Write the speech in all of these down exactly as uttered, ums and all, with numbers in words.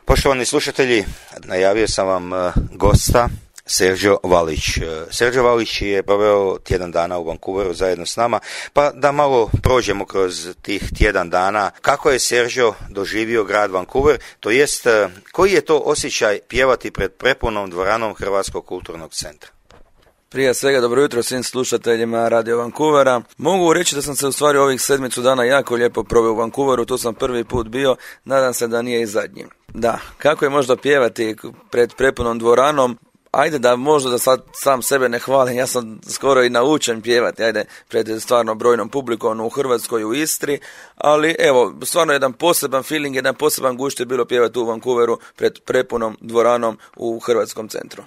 Poštovani slušatelji, najavio sam vam gosta Sergio Valić. Sergio Valić je proveo tjedan dana u Vancouveru zajedno s nama, pa da malo prođemo kroz tih tjedan dana. Kako je Sergio doživio grad Vancouver, to jest koji je to osjećaj pjevati pred prepunom dvoranom Hrvatskog kulturnog centra? Prije svega dobro jutro svim slušateljima Radio Vancouvera. Mogu reći da sam se u stvari ovih sedmicu dana jako lijepo proveo u Vancouveru, tu sam prvi put bio, nadam se da nije i zadnji. Da, kako je možda pjevati pred prepunom dvoranom? Ajde da možda da sad sam sebe ne hvalim, ja sam skoro i naučen pjevati, ajde, pred stvarno brojnom publikom u Hrvatskoj, u Istri, ali evo, stvarno jedan poseban feeling, jedan poseban gušt je bilo pjevati u Vancouveru pred prepunom dvoranom u Hrvatskom centru.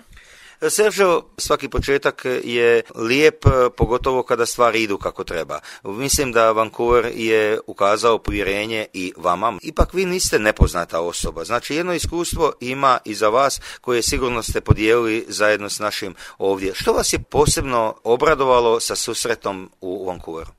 Sergio, svaki početak je lijep, pogotovo kada stvari idu kako treba. Mislim da Vancouver je ukazao povjerenje i vama. Ipak vi niste nepoznata osoba. Znači jedno iskustvo ima i za vas koje sigurno ste podijelili zajedno s našim ovdje. Što vas je posebno obradovalo sa susretom u Vancouveru?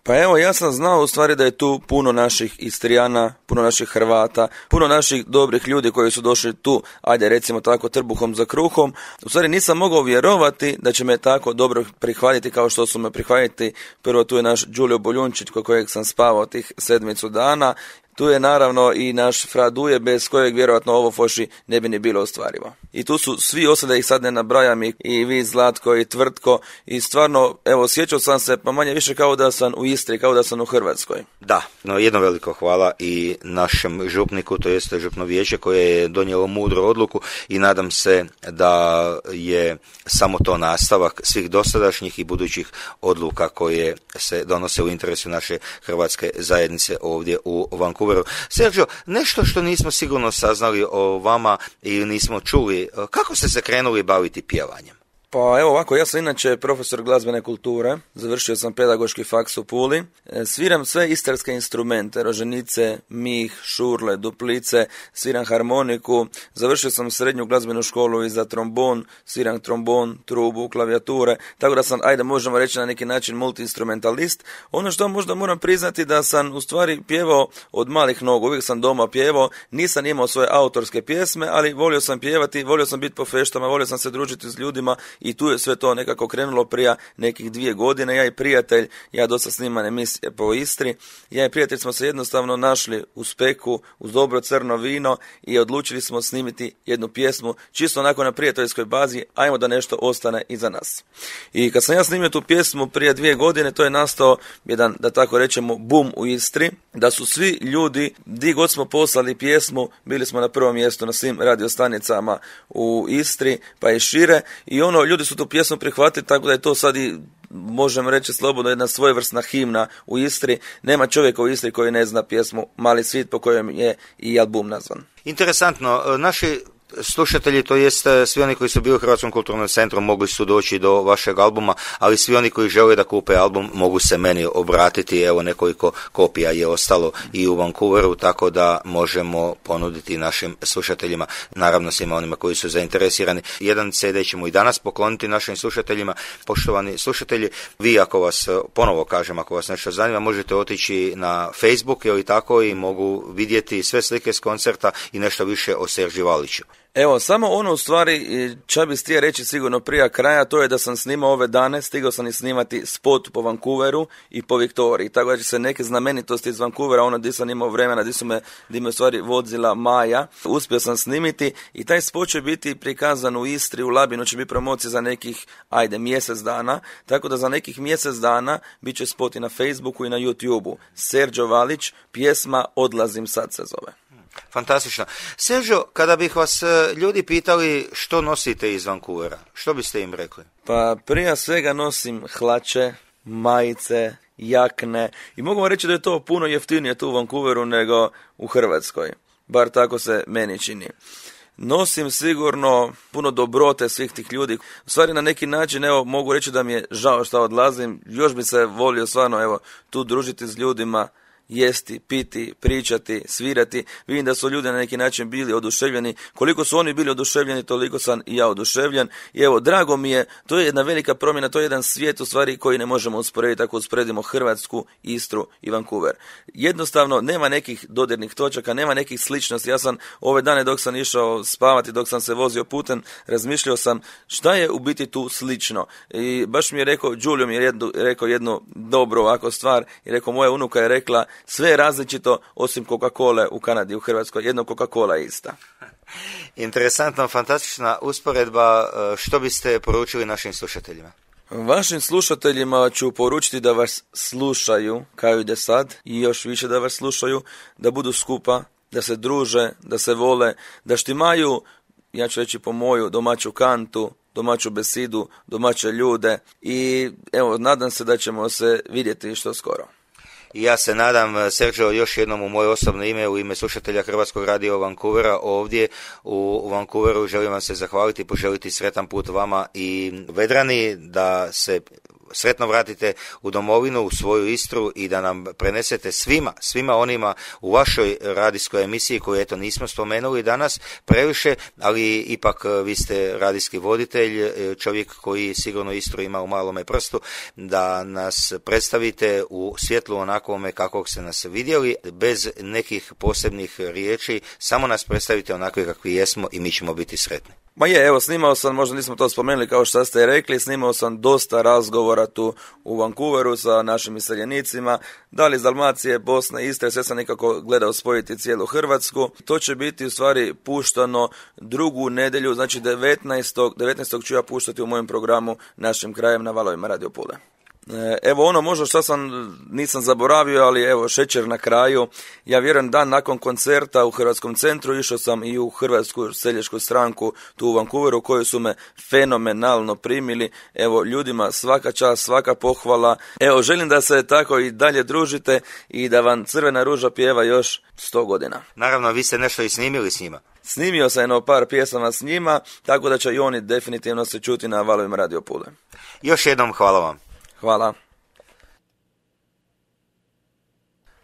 Pa evo, ja sam znao u stvari da je tu puno naših Istrijana, puno naših Hrvata, puno naših dobrih ljudi koji su došli tu, ajde recimo tako, trbuhom za kruhom. U stvari nisam mogao vjerovati da će me tako dobro prihvatiti kao što su me prihvatiti. Prvo tu je naš Đulio Boljunčić kod kojeg sam spavao tih sedmicu dana. Tu je naravno i naš Fra Duje, bez kojeg vjerojatno ovo Foši ne bi ni bilo ostvarivo. I tu su svi ostali, da ih sad ne nabrajam, i, i vi Zlatko i Tvrtko, i stvarno, evo, osjećao sam se pa manje više kao da sam u Istri, kao da sam u Hrvatskoj. Da, no jedno veliko hvala i našem župniku, to jeste župno vijeće koje je donijelo mudru odluku i nadam se da je samo to nastavak svih dosadašnjih i budućih odluka koje se donose u interesu naše hrvatske zajednice ovdje u Vancouveru. Sergio, nešto što nismo sigurno saznali o vama ili nismo čuli, kako ste se krenuli baviti pjevanjem? Pa evo ovako, ja sam inače profesor glazbene kulture, završio sam pedagoški faks u Puli, sviram sve istarske instrumente, roženice, mih, šurle, duplice, sviram harmoniku, završio sam srednju glazbenu školu i za trombon, sviram trombon, trubu, klavijature, tako da sam, ajde možemo reći na neki način multi-instrumentalist. Ono što možda moram priznati da sam u stvari pjevao od malih nogu, uvijek sam doma pjevao, nisam imao svoje autorske pjesme, ali volio sam pjevati, volio sam biti po feštama, volio sam se družiti s ljudima. I tu je sve to nekako krenulo prije nekih dvije godine. Ja i prijatelj, ja dosta snimam emisije po Istri, ja i prijatelj smo se jednostavno našli u Speku uz dobro crno vino i odlučili smo snimiti jednu pjesmu, čisto onako na prijateljskoj bazi, ajmo da nešto ostane iza nas. I kad sam ja snimio tu pjesmu prije dvije godine, to je nastao jedan, da tako rečemo, bum u Istri, da su svi ljudi, di god smo poslali pjesmu, bili smo na prvom mjestu na svim radiostanicama u Istri, pa i šire, i ono, ljudi su tu pjesmu prihvatili, tako da je to sad i, možemo reći slobodno, jedna svojevrsna himna u Istri. Nema čovjeka u Istri koji ne zna pjesmu Mali svit, po kojem je i album nazvan. Interesantno, naši slušatelji, to jest svi oni koji su bili u Hrvatskom kulturnom centru, mogli su doći do vašeg albuma, ali svi oni koji žele da kupe album mogu se meni obratiti. Evo, nekoliko kopija je ostalo i u Vancouveru, tako da možemo ponuditi našim slušateljima, naravno svima onima koji su zainteresirani. Jedan ce de ćemo i danas pokloniti našim slušateljima. Poštovani slušatelji, vi, ako vas, ponovo kažem, ako vas nešto zanima, možete otići na Facebook ili tako i mogu vidjeti sve slike s koncerta i nešto više o Sergiju Valiću. Evo, samo ono u stvari, ča bi stije reći sigurno prije kraja, to je da sam snimao ove dane, stigao sam i snimati spot po Vancouveru i po Viktoriji, tako da će se neke znamenitosti iz Vancouvera, ono gdje sam imao vremena, gdje su me, gdje me u stvari vozila Maja, uspio sam snimiti i taj spot će biti prikazan u Istri, u Labinu će biti promocija za nekih, ajde, mjesec dana, tako da za nekih mjesec dana bit će spot i na Facebooku i na YouTubeu. Sergio Valić, pjesma Odlazim sad se zove. Fantastično. Sergio, kada bih vas ljudi pitali što nosite iz Vancouvera, što biste im rekli? Pa prije svega nosim hlače, majice, jakne i mogu vam reći da je to puno jeftinije tu u Vancouveru nego u Hrvatskoj. Bar tako se meni čini. Nosim sigurno puno dobrote svih tih ljudi. U stvari na neki način, evo, mogu reći da mi je žao što odlazim. Još bi se volio stvarno, evo, tu družiti s ljudima jesti, piti, pričati, svirati. Vidim da su ljudi na neki način bili oduševljeni. Koliko su oni bili oduševljeni, toliko sam i ja oduševljen. I evo, drago mi je, to je jedna velika promjena, to je jedan svijet u stvari koji ne možemo usporediti ako usporedimo Hrvatsku, Istru i Vancouver. Jednostavno, nema nekih dodirnih točaka, nema nekih sličnosti. Ja sam ove dane dok sam išao spavati, dok sam se vozio putem, razmišljao sam šta je u biti tu slično. I baš mi je rekao, Giulio mi je jednu, rekao jednu dobru ovako stvar, i rekao, moja unuka je rekla, sve je različito osim Coca-Cola u Kanadi i u Hrvatskoj, jedno Coca-Cola je ista. Interesantna, fantastična usporedba. Što biste poručili našim slušateljima? Vašim slušateljima ću poručiti da vas slušaju kao i do sad i još više da vas slušaju, da budu skupa, da se druže, da se vole, da štimaju, ja ću reći po moju, domaću kantu, domaću besidu, domaće ljude i evo, nadam se da ćemo se vidjeti što skoro. I ja se nadam, Sergio, još jednom u moje osobno ime, u ime slušatelja Hrvatskog radija Vancouvera ovdje u Vancouveru želim vam se zahvaliti i poželiti sretan put vama i Vedrani, da se sretno vratite u domovinu, u svoju Istru i da nam prenesete svima, svima onima u vašoj radijskoj emisiji koju eto nismo spomenuli danas previše, ali ipak vi ste radijski voditelj, čovjek koji sigurno Istru ima u malome prstu, da nas predstavite u svjetlu onakvome kakvog ste nas vidjeli, bez nekih posebnih riječi, samo nas predstavite onakve kakvi jesmo i mi ćemo biti sretni. Ma je, evo, snimao sam, možda nismo to spomenuli kao što ste rekli, snimao sam dosta razgovora tu u Vancouveru sa našim iseljenicima, da li iz Dalmacije, Bosne, Istre, sve sam nekako gledao spojiti cijelu Hrvatsku. To će biti u stvari puštano drugu nedjelju, znači devetnaestog ću ja puštati u mojem programu Našim krajem na valovima Radio Pule. Evo ono možda što sam nisam zaboravio, ali evo šećer na kraju. Ja vjerujem dan nakon koncerta u Hrvatskom centru išao sam i u Hrvatsku seljačku stranku tu u Vancouveru koju su me fenomenalno primili. Evo ljudima svaka čast, svaka pohvala. Evo želim da se tako i dalje družite i da vam Crvena ruža pjeva još sto godina. Naravno, vi ste nešto i snimili s njima. Snimio sam jedno par pjesama s njima, tako da će i oni definitivno se čuti na valovima Radio Pule. Još jednom hvala vam. Hvala.